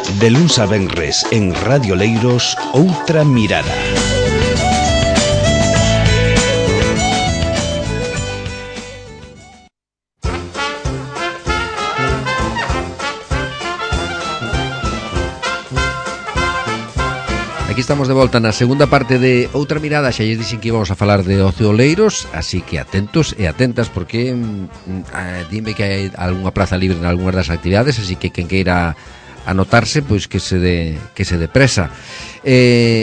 De luns a venres en Radio Leiros, Outra Mirada. Aquí estamos de volta na segunda parte de Outra Mirada. Xa lles dixen que íbamos a falar de ocio Oleiros, así que atentos e atentas, porque dime que hai algunha plaza libre en algunhas das actividades, así que quen queira anotarse, pois que se dé presa.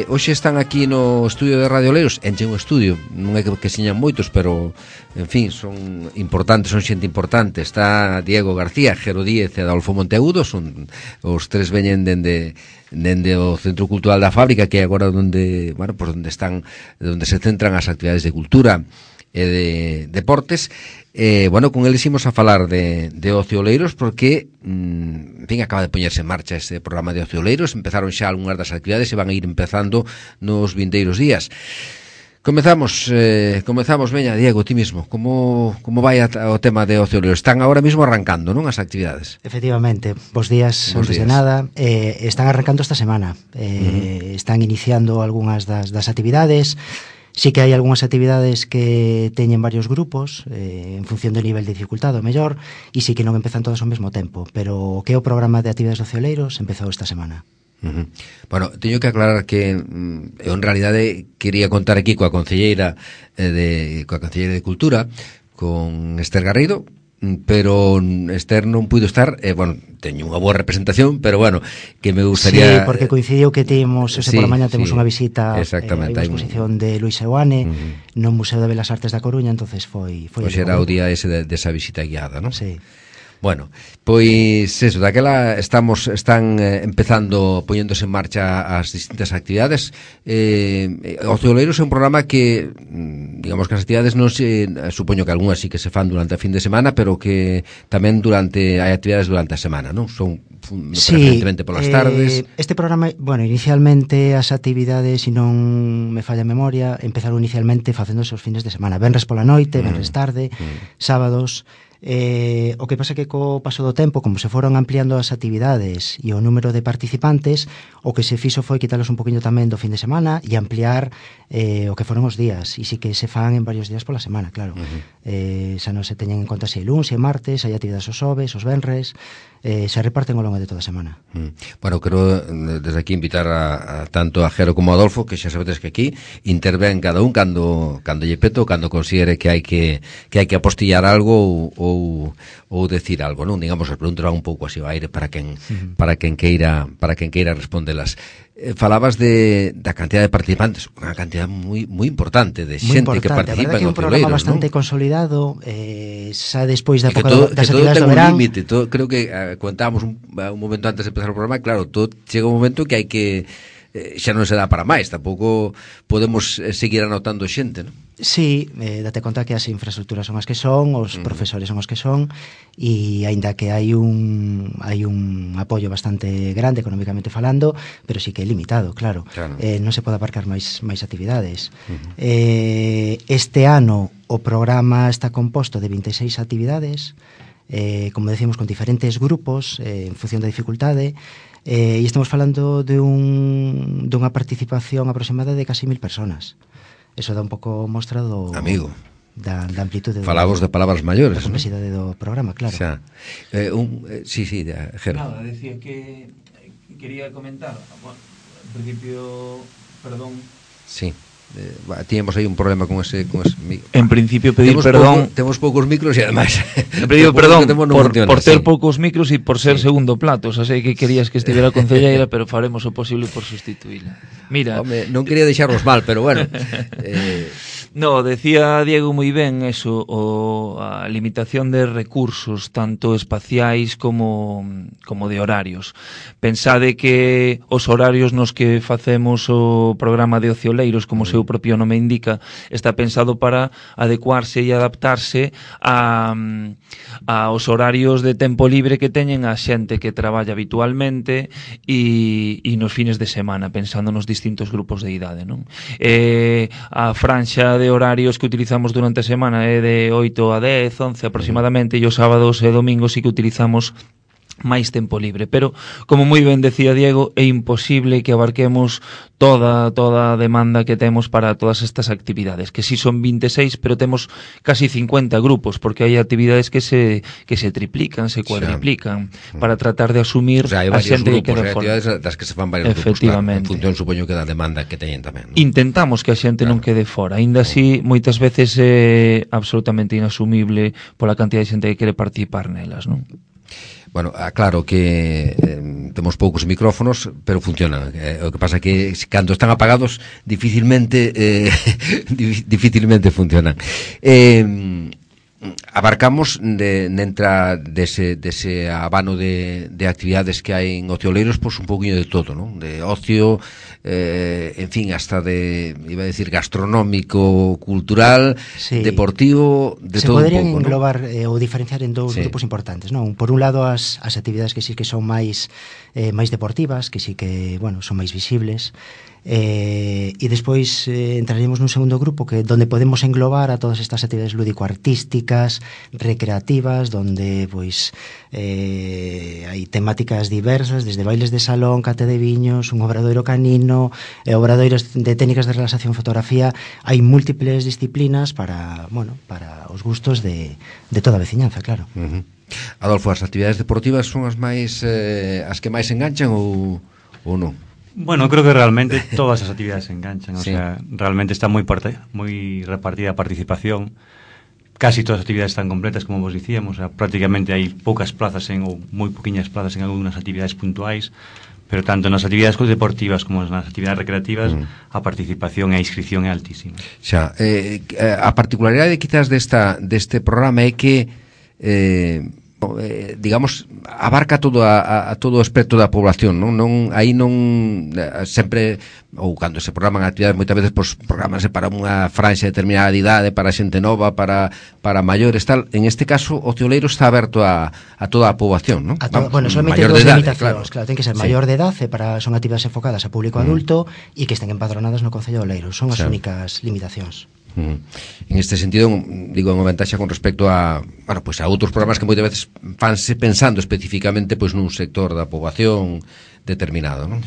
Hoxe están aquí no estudio de Radio Oleiros, enchen un estudio, non é que señan moitos, pero en fin, son importantes, son xente importante. Está Diego García, Jero Díez e Adolfo Monteagudo, son os tres veñen dende o Centro Cultural da Fábrica, que é agora onde, bueno, pues onde se centran as actividades de cultura e de deportes. Bueno, con eles imos a falar de ocio Oleiros, porque en fin, acaba de poñerse en marcha este programa de ocio Oleiros. Empezaron xa algunhas das actividades e van a ir empezando nos vindeiros días. Comezamos, veña, Diego, ti mismo. Como vai o tema de ocio Oleiros? Están agora mismo arrancando, non, as actividades? Efectivamente, bos días, antes de nada. Están arrancando esta semana. Están iniciando algunhas das actividades. Sí que hai algunhas actividades que teñen varios grupos en función do nivel de dificultade, o mellor, e sí que non empezan todas ao mesmo tempo, pero o que é o programa de actividades de ocio Oleiros empezou esta semana. Bueno, teño que aclarar que eu en realidade quería contar aquí coa concelleira de Cultura, con Esther Garrido, pero Esther non puido estar, bueno, teño unha boa representación, pero bueno, que me gustaría... Sí, porque coincidiu que temos, por a mañá temos unha visita, hai unha exposición de Luis Seoane no Museo de Belas Artes da Coruña, entonces foi Pois era o día ese desa visita guiada, non? Sí. Bueno, pois eso, daquela están empezando, poñéndose en marcha as distintas actividades. Ocio Oleiros é un programa que, digamos que as actividades non se, supoño que algunhas sí que se fan durante a fin de semana, pero que tamén hai actividades durante a semana, non? Son preferentemente polas tardes. Este programa, bueno, inicialmente as actividades, se non me falla a memoria, empezaron inicialmente facéndose os fines de semana, venres pola noite, venres tarde, sábados. O que pasa que co paso do tempo, como se foron ampliando as actividades e o número de participantes, o que se fixo foi quitalos un poquinho tamén do fin de semana e ampliar o que foron os días, e si que se fan en varios días pola semana, claro. Xa non se teñen en conta se luns e martes, hai actividades os xoves, os venres, se reparten ao longo de toda a semana. Bueno, quero desde aquí invitar a tanto a Jero como a Adolfo, que xa sabedes que aquí interven cada un cando lle peto, cando considere que hai que apostillar algo ou decir algo, non? Digamos, as preguntas van un pouco así ao aire para quen queira respondelas. Falabas da cantidad de participantes, unha cantidad moi importante de xente que participa en o programa, Oleiros, bastante non? Consolidado, xa despois da época das todo actividades ten do verán. Límite, creo que comentábamos un momento antes de empezar o programa, claro, todo chega un momento que hai que xa non se dá para máis, tampouco podemos seguir anotando xente, non? Sí, date conta que as infraestructuras son as que son, os profesores son os que son, e aínda que hai un apoio bastante grande económicamente falando, pero sí que é limitado, claro. Non se pode aparcar máis actividades. Este ano o programa está composto de 26 actividades, como decimos, con diferentes grupos en función da dificultade, e estamos falando de dunha participación aproximada de casi 1000 personas. Eso dá un pouco mostra do... Amigo. Da amplitude... Falamos de palabras maiores, da complexidade do programa, claro. Xa. Sí, Jero. Nada, decía que quería comentar, bueno, en principio, perdón... Sí. Tiñemos aí un problema con ese micro. En principio pedir perdón. Temos poucos micros e ademais en principio perdón por ter poucos micros e por ser segundo plato. Xa sei que querías que estivera a concelleira, pero faremos o posible por sustituíla. Mira, home, non quería deixarvos mal, pero bueno. No, decía Diego moi ben eso, a limitación de recursos, tanto espaciais como de horarios. Pensade que os horarios nos que facemos o programa de Ocio Oleiros, como seu propio nome indica, está pensado para adecuarse e adaptarse aos horarios de tempo libre que teñen a xente que traballa habitualmente e nos fines de semana, pensando nos distintos grupos de idade, non? A franxa de horarios que utilizamos durante a semana é de 8 a 10, 11 aproximadamente, e os sábados e domingos sí que utilizamos máis tempo libre, pero como moi ben decía Diego, é imposible que abarquemos toda a demanda que temos para todas estas actividades, que si son 26, pero temos casi 50 grupos, porque hai actividades que se triplican, se cuadriplican, para tratar de asumir a xente que queda fora. Actividades das que se fan varios grupos, claro, en función, supoño, que da demanda que teñen tamén, ¿no? Intentamos que a xente non quede fora, aínda así moitas veces é absolutamente inasumible pola cantidad de xente que quere participar nelas, non? Bueno, claro que temos poucos micrófonos, pero funcionan. O que pasa que cando están apagados dificilmente funcionan. Abarcamos dese abano de actividades que hai en Ocioleiros, pois un pouquinho de todo, non? De ocio, en fin, hasta iba a decir, gastronómico, cultural, sí, deportivo, de todo un pouco. Se poderían englobar ou diferenciar en dous grupos importantes, non? Por un lado, as actividades que sí que son máis deportivas, que sí que, bueno, son máis visibles, e despois entraríamos nun segundo grupo donde podemos englobar a todas estas actividades lúdico-artísticas, recreativas, donde pois hai temáticas diversas, desde bailes de salón, cate de viños, un obradoiro canino, obradoiros de técnicas de relaxación, fotografía. Hai múltiples disciplinas para os gustos de toda a veciñanza, claro. Adolfo, as actividades deportivas son as que máis enganchan ou non? Bueno, creo que realmente todas as actividades se enganchan, o sea, realmente está moi repartida a participación. Casi todas as actividades están completas, como vos dicíamos, o sea, prácticamente hai poucas plazas ou moi poquinhas plazas en algunhas actividades puntuais, pero tanto nas actividades deportivas como nas actividades recreativas a participación e a inscripción é altísima. Xa, a particularidade quizás deste programa é que digamos, abarca todo o espectro da población, non aí non sempre, ou cando se programan actividades moitas veces, pois programanse para unha franxa determinada de idade, para xente nova, para maiores, tal. En este caso, o Ocioleiro está aberto a toda a poboación, non? Bueno, solamente dos limitacións, claro, ten que ser maior de edade, son actividades enfocadas a público adulto e que estén empadronadas no Concello de Oleiros, son as únicas limitacións. En este sentido, digo, unha ventaxa con respecto a outros programas que moitas veces fanse pensando especificamente pois nun sector da poboación determinado, non?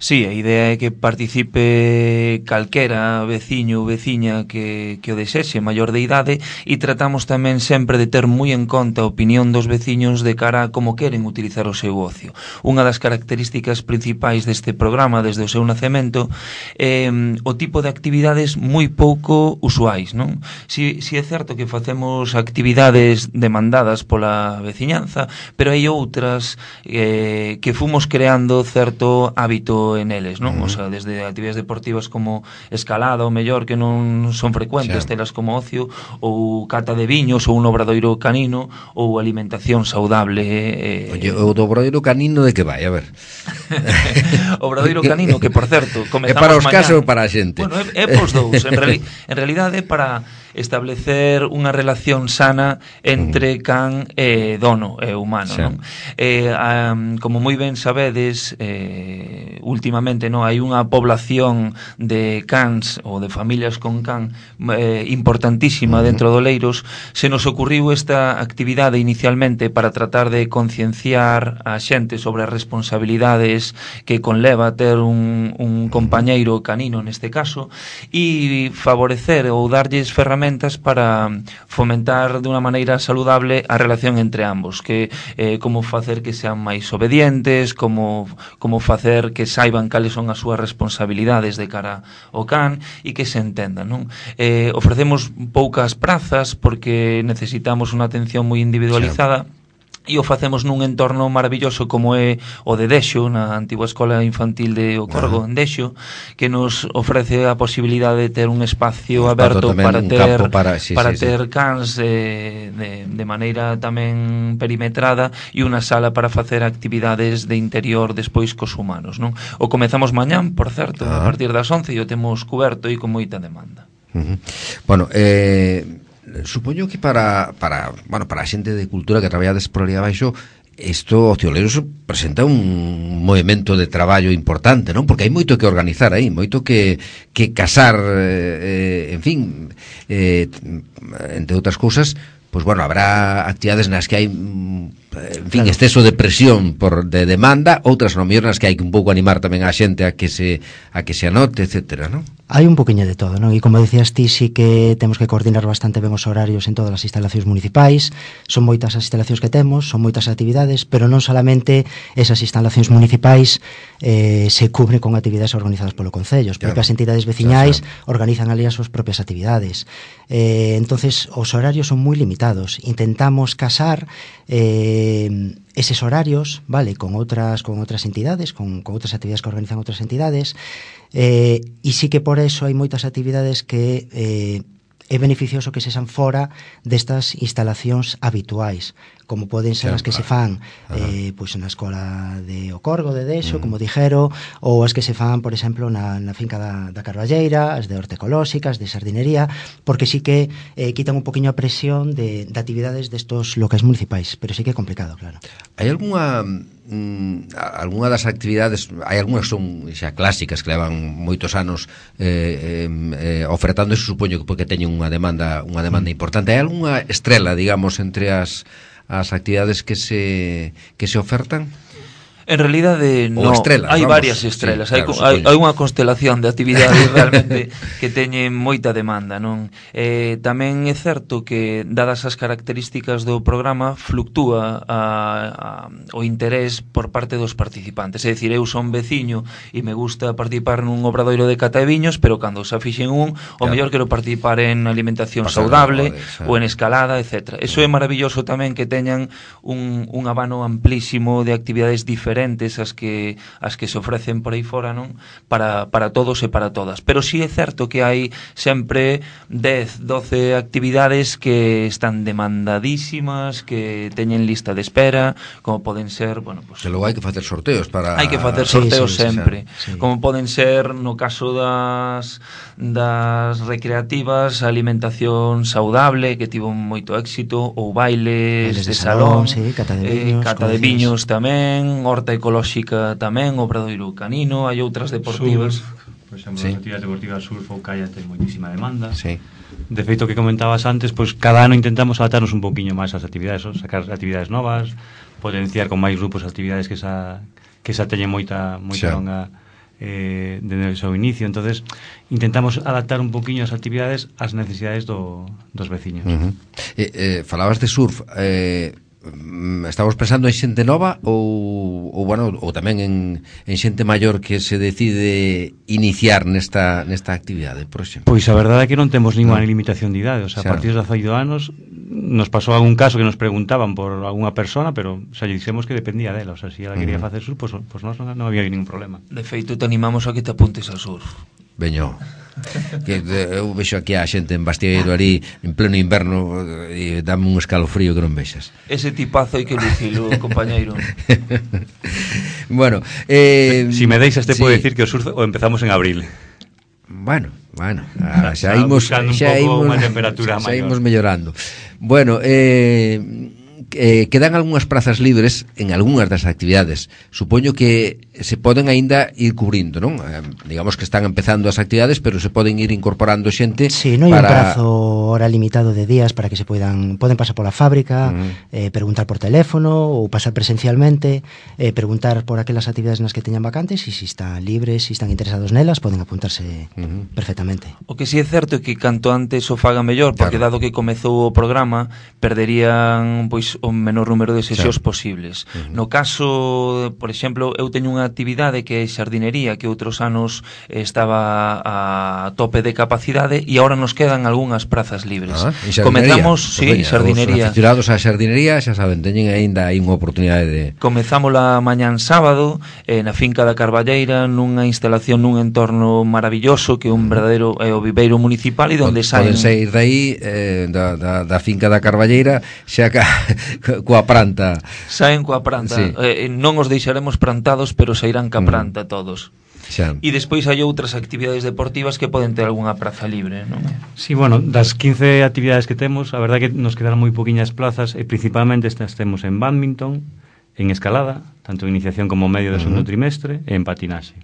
Sí, a idea é que participe calquera veciño ou veciña que o desexe, maior de idade, e tratamos tamén sempre de ter moi en conta a opinión dos veciños de cara a como queren utilizar o seu ocio. Unha das características principais deste programa desde o seu nacemento é o tipo de actividades moi pouco usuais, non? Si é certo que facemos actividades demandadas pola veciñanza, pero hai outras que fomos creando certo hábito en eles, non? O sea, desde actividades deportivas como escalada, o mellor, que non son frecuentes, telas como ocio, ou cata de viños, ou un obradoiro canino, ou alimentación saudable. Oye, o do obradoiro canino de que vai? A ver. Obradoiro canino, que, por certo, comezamos é para os mañá. casos ou para a xente? Bueno, é pos dous. En realidade, para establecer unha relación sana entre can e dono e humano, non? Como moi ben sabedes, últimamente hai unha población de cans ou de familias con can importantísima dentro de Oleiros. Se nos ocurriu esta actividade inicialmente para tratar de concienciar a xente sobre as responsabilidades que conleva ter un compañeiro canino neste caso, e favorecer ou darlles ferramentas para fomentar de unha maneira saludable a relación entre ambos, que como facer que sean máis obedientes, como facer que saiban cales son as súas responsabilidades de cara ao can e que se entendan, non? Ofrecemos poucas prazas porque necesitamos unha atención moi individualizada. E o facemos nun entorno maravilloso como é o de Dexo, na antigua escola infantil de O Corgo, en Dexo, que nos ofrece a posibilidade de ter un espacio aberto para ter cans de maneira tamén perimetrada, e unha sala para facer actividades de interior despois cos humanos, non? O comezamos mañán, por certo, a partir das 11, e o temos coberto e con moita demanda. Bueno, supoño que para a xente de cultura que traballades por ali abaixo, isto Ocioleiros presenta un movimento de traballo importante, non? Porque hai moito que organizar aí, moito que casar, en fin, entre outras cousas. Pois bueno, habrá actividades nas que hai en fin, exceso de presión de demanda, outras non mellor nas que hai que un pouco animar tamén a xente a que se anote, etcétera, non? Hai un poquinho de todo, non? E como decías ti, sí que temos que coordinar bastante ben os horarios en todas as instalacións municipais. Son moitas as instalacións que temos, son moitas actividades, pero non solamente esas instalacións municipais se cubren con actividades organizadas polo Concello. As propias entidades veciñais organizan ali as súas propias actividades. Entonces, os horarios son moi limitados. Intentamos casar eses horarios, vale, con outras entidades, con outras actividades que organizan outras entidades, e sí que por eso hai moitas actividades que é beneficioso que se san fora destas instalacións habituais, como poden ser as que se fan pois na escola de Ocorgo de Dexo, como dixero, ou as que se fan, por exemplo, na finca da Carballeira, as de horta ecolóxica, as de sardinería, porque sí que quitan un poquinho a presión de actividades destos locais municipais, pero sí que é complicado, claro. Hai algunha das actividades, hai algunhas que son xa clásicas que levan moitos anos ofertando, eso supoño que porque teñen unha demanda importante. Hai algunha estrela, digamos, entre as actividades que se ofertan? En realidade, no, hai varias estrelas, sí, claro, hai unha constelación de actividades realmente que teñen moita demanda, non? Tamén é certo que, dadas as características do programa, fluctúa o interés por parte dos participantes. É dicir, eu son veciño e me gusta participar nun obradoiro de cata de viños, pero cando xa fixen o mellor quero participar en alimentación saudable ou en escalada, etc. Eso é maravilloso tamén, que teñan un abano amplísimo de actividades diferentes as que se ofrecen por aí fora, non? Para todos e para todas. Pero sí é certo que hai sempre 10, 12 actividades que están demandadísimas, que teñen lista de espera, como poden ser, bueno, pues, que logo hai que facer sorteos para... Hai que facer sorteos sempre. Como poden ser, no caso das recreativas, a alimentación saudable, que tivo moito éxito, ou bailes de salón, cata de viños tamén, horta ecolóxica tamén, obradoiro canino, hai outras deportivas. Por exemplo, as actividades deportivas, surf ou kayak ten moitísima demanda. Sí. De feito, que comentabas antes, pois cada ano intentamos adaptarnos un poquinho máis ás actividades, sacar actividades novas, potenciar con máis grupos actividades que xa teñen moita longa desde o seu inicio. Entonces intentamos adaptar un poquinho as actividades ás necesidades dos veciños. Falabas de surf, estamos pensando en xente nova ou tamén en xente maior que se decide iniciar nesta actividade, por exemplo? Pois a verdade é que non temos ninguna limitación de idade, o sea, a partir dos 18 anos nos pasou algún caso que nos preguntaban por algunha persona, pero xa lle dixemos que dependía dela, o sea, se ela quería facer surf, pois nós non había ningún problema. De feito, te animamos a que te apuntes a surf. Veño, que eu vexo aquí a xente en Bastieiro ali en pleno inverno e dame un escalofrío que non vexas. Ese tipazo hai que lucilo, compañeiro. Bueno, si me deixas te podo decir que o surf o empezamos en abril. Bueno, xa imos mellorando. Bueno, quedan algunhas prazas libres en algunhas das actividades. Supoño que se poden aínda ir cubrindo, non? Digamos que están empezando as actividades, pero se poden ir incorporando xente. Sí, non hai un prazo hora limitado de días para que se poden pasar pola fábrica, preguntar por teléfono ou pasar presencialmente, preguntar por aquelas actividades nas que teñan vacantes, e se están libres, se están interesados nelas, poden apuntarse perfectamente. O que si é certo é que canto antes o faga mellor, porque dado que comezou o programa, perderían pois o menor número de sesións posibles. No caso, por exemplo, eu teño unha actividade que é xardinería, que outros anos estaba a tope de capacidade e agora nos quedan algunhas prazas libres. Comezamos, xardinería. Os aficionados á xardinería, xa saben, teñen aínda aí unha oportunidade de... Comezamos a mañán sábado na finca da Carballeira, nunha instalación nun entorno maravilloso que é un verdadeiro o viveiro municipal, e onde poden sair dai da finca da Carballeira xa coa pranta. Saen coa pranta, non os deixaremos prantados, pero sairán ca pranta todos. E despois hai outras actividades deportivas que poden ter algunha praza libre, non? Sí, bueno, das 15 actividades que temos, a verdade é que nos quedaron moi poquinhas plazas, e principalmente estas temos en badminton, en escalada, tanto en iniciación como medio do segundo trimestre, e en patinaxe.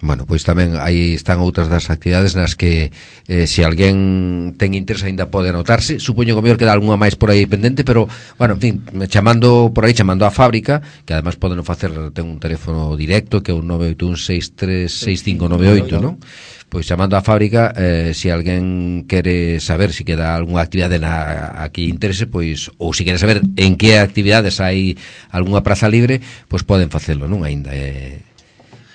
Bueno, pois tamén aí están outras das actividades nas que se alguén ten interés aínda pode anotarse. Supoño que mellor queda algunha máis por aí pendente, pero, bueno, en fin, chamando por aí, chamando á fábrica, que además poden facer, ten un teléfono directo que é un 981636598, non? Pois chamando á fábrica, se alguén quere saber se queda algunha actividade a que interese, pois, ou se quere saber en que actividades hai algunha praza libre, pois poden facelo, non? Aínda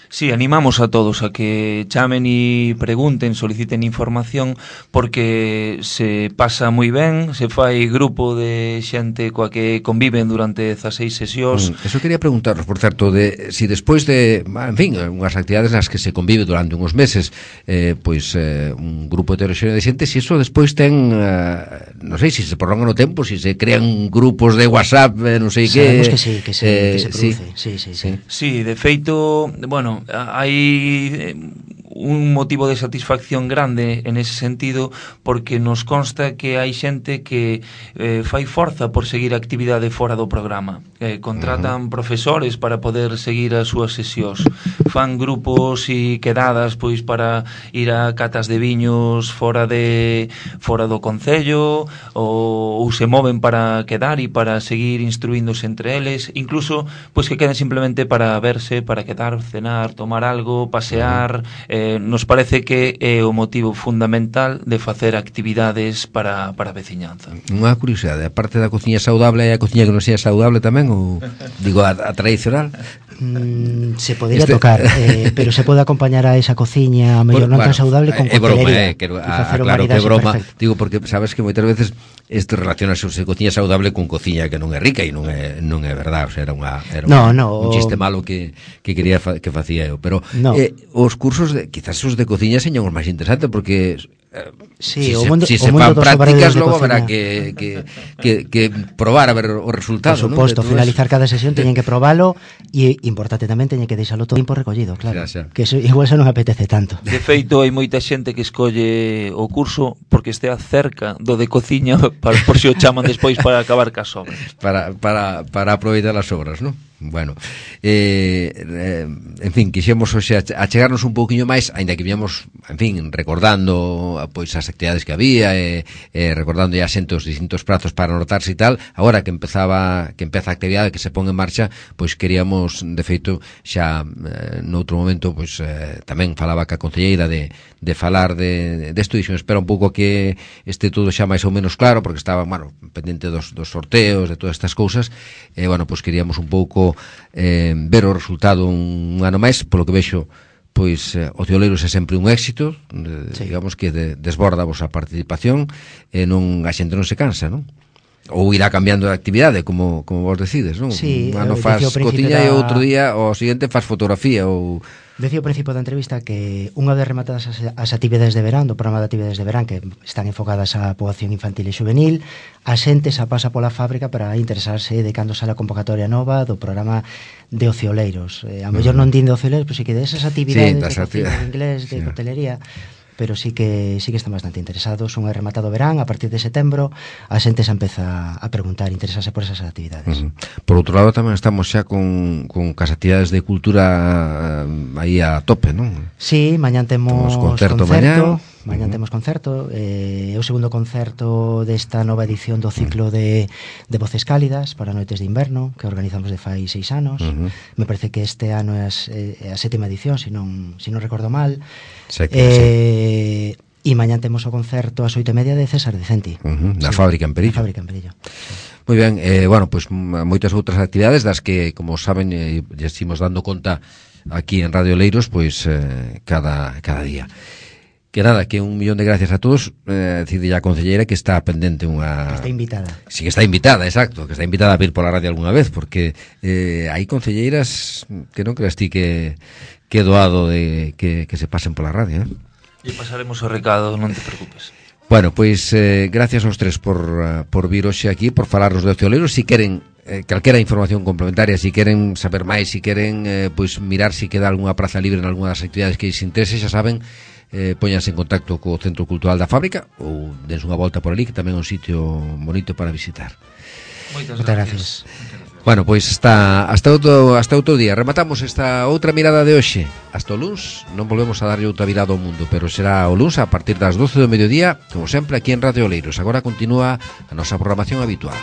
Sí, animamos a todos a que chamen e pregunten, soliciten información, porque se pasa moi ben, se fai grupo de xente coa que conviven durante 16 sesións. Eso quería preguntaros, por certo, de si despois de, en fin, unhas actividades nas que se convive durante uns meses, un grupo heteroxéneo de xente, si eso despois ten, non sei, si se prolonga no tempo, si se crean grupos de WhatsApp, non sei que... Sabemos que sí, que se produce. Sí, de feito, bueno, hai un motivo de satisfacción grande en ese sentido, porque nos consta que hai xente que fai forza por seguir a actividade fora do programa, contratan profesores para poder seguir as súas sesións, fan grupos e quedadas pois para ir a catas de viños fora do concello, ou se moven para quedar e para seguir instruíndose entre eles, incluso pois que queden simplemente para verse, para quedar, cenar, tomar algo, pasear. Nos parece que é o motivo fundamental de facer actividades para a veciñanza. Unha curiosidade, a parte da cociña saudable, hai a cociña que non sea saudable tamén, ou digo a tradicional? Se podría tocar, pero se pode acompañar a esa cociña a mellor non tan saudable con coctelería. Claro que é broma, digo, porque sabes que moitas veces isto relacionase cociña saudable con cociña que non é rica, e non é verdad, o sea, era un chiste malo que quería que facía eu, pero os cursos quizás os de cociña señan os máis interesantes, porque sí, si se fan prácticas logo habrá que probar a ver o resultado. Por suposto, ¿no? Finalizar cada sesión teñen que probalo, e importante tamén teñen que deixalo todo tempo recollido, claro, que eso, igual se non apetece tanto. De feito, hai moita xente que escolle o curso porque estea cerca do de cociña, por si o chaman despois para acabar cas obras, para aproveitar as obras, non? Bueno, en fin, quixemos hoxe achegarnos un pouquiño máis, aínda que viamos, en fin, recordando pois as actividades que había, recordando ya xentos distintos prazos para anotarse e tal. Agora que empeza a actividade, que se pon en marcha, pois queríamos, de feito, xa noutro momento, pois tamén falaba ca concelleira de falar desto, e espera un pouco que este todo xa máis ou menos claro, porque estaba, bueno, pendente dos sorteos, de todas estas cousas, bueno, pois queríamos un pouco ver o resultado un ano máis. Polo que vexo, pois Ocioleiros é sempre un éxito, digamos que desborda a vosa participación, e a xente non se cansa, non? Ou irá cambiando de actividade, como vos decides, non? Sí, un ano faz cociña e outro día o seguinte faz fotografía, ou... Decía ao principio da entrevista que unha vez rematadas as actividades de verán, do programa de actividades de verán, que están enfocadas á poboación infantil e juvenil, a xente xa pasa pola fábrica para interesarse de cando sale a convocatoria nova do programa de Ocioleiros. A mellor non din de Ocioleiros, pero sí que de esas actividades de cocina, de inglés, de coctelería, pero sí que están bastante interesados. Unha rematado verán, a partir de setembro a xente xa empeza a preguntar, interesarse por esas actividades. Por outro lado, tamén estamos xa con as actividades de cultura aí a tope, non? Sí, mañán temos concerto. Mañán temos concerto, é o segundo concerto desta nova edición do ciclo de Voces Cálidas para Noites de Inverno, que organizamos de fai 6 anos. Me parece que este ano é a 7ª edición, se non recordo mal. E mañán temos o concerto ás 8:30 de César Decenti, na Fábrica en Perillo. Moi ben, bueno, pois moitas outras actividades das que, como saben, ya estimos dando conta aquí en Radio Leiros, pois cada día. Que nada, que 1.000.000 de gracias a todos, decide a concelleira que está pendente unha... Que está invitada. Sí, que está invitada, exacto, que está invitada a vir pola radio algunha vez, porque hai concelleiras que non creas ti que doado de que se pasen pola radio, E pasaremos o recado, non te preocupes. Bueno, pois gracias aos tres por vir hoxe aquí, por falarnos de Ocioleiros. Si queren calquera información complementaria, si queren saber máis, si queren pois mirar si queda algunha praza libre en algunha das actividades que lles interese, xa saben, póñanse en contacto co Centro Cultural da Fábrica ou dense unha volta por ali, que tamén é un sitio bonito para visitar. Moitas gracias. Bueno, pois hasta outro día. Rematamos esta outra mirada de hoxe. Hasta o luns non volvemos a darlle outra virada ao mundo, pero será o luns a partir das 12 do mediodía, como sempre aquí en Radio Oleiros. Agora continúa a nosa programación habitual.